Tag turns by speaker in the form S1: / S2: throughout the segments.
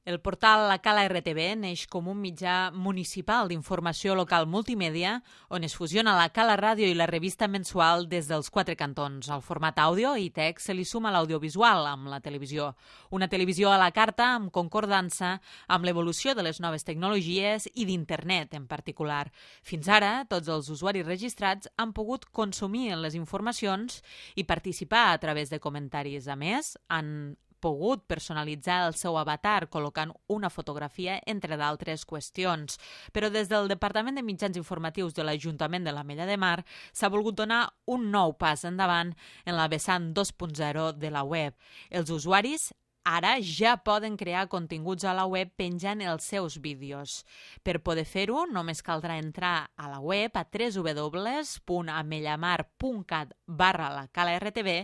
S1: El portal La Cala RTV neix com un mitjà municipal d'informació local multimèdia on es fusiona la Cala Ràdio i la revista mensual des dels quatre cantons. Al format àudio i text se li suma l'audiovisual amb la televisió. Una televisió a la carta amb concordança amb l'evolució de les noves tecnologies i d'internet en particular. Fins ara, tots els usuaris registrats han pogut consumir les informacions i participar a través de comentaris. A més, han pogut personalitzar el seu avatar col·locant una fotografia, entre d'altres qüestions. Però des del Departament de Mitjans Informatius de l'Ajuntament de l'Ametlla de Mar s'ha volgut donar un nou pas endavant en la vessant 2.0 de la web. Els usuaris ara ja poden crear continguts a la web penjant els seus vídeos. Per poder fer-ho, només caldrà entrar a la web a www.amellamar.cat/lacalaRTV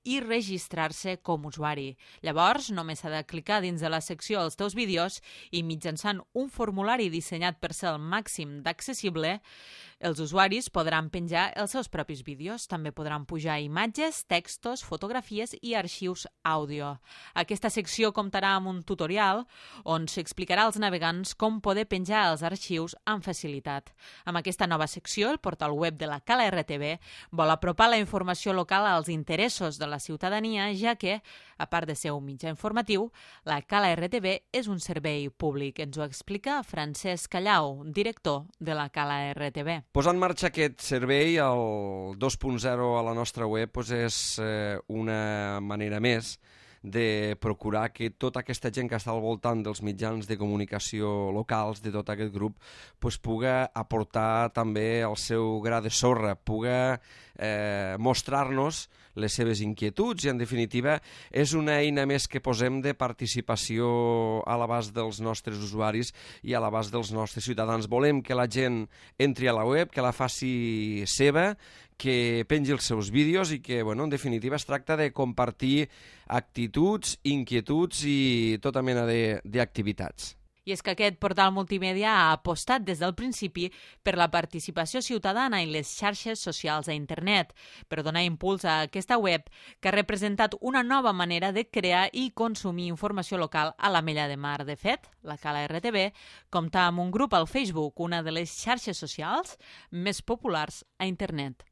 S1: i registrar-se com a usuari. Llavors, només s'ha de clicar dins de la secció Els teus vídeos i mitjançant un formulari dissenyat per ser el màxim d'accessible, els usuaris podran penjar els seus propis vídeos. També podran pujar imatges, textos, fotografies i arxius àudio. Aquesta secció comptarà amb un tutorial on s'explicarà als navegants com poder penjar els arxius amb facilitat. Amb aquesta nova secció, el portal web de la Cala RTV vol apropar la informació local als interessos de la ciutadania, ja que, a part de ser un mitjà informatiu, la Cala RTV és un servei públic. Ens ho explica Francesc Callau, director de la Cala RTV.
S2: Posar en marxa aquest servei, el 2.0 a la nostra web, és una manera més de procurar que tota aquesta gent que està al voltant dels mitjans de comunicació locals, de tot aquest grup, puga aportar també el seu gra de sorra, puga mostrar-nos les seves inquietuds i, en definitiva, és una eina més que posem de participació a l'abast dels nostres usuaris i a l'abast dels nostres ciutadans. Volem que la gent entri a la web, que la faci seva, que pengi els seus vídeos i que, en definitiva, es tracta de compartir actituds, inquietuds i tota mena d'activitats.
S1: I és que aquest portal multimèdia ha apostat des del principi per la participació ciutadana i les xarxes socials a internet, per donar impuls a aquesta web que ha representat una nova manera de crear i consumir informació local a l'Ametlla de Mar. De fet, la Cala RTV compta amb un grup al Facebook, una de les xarxes socials més populars a internet.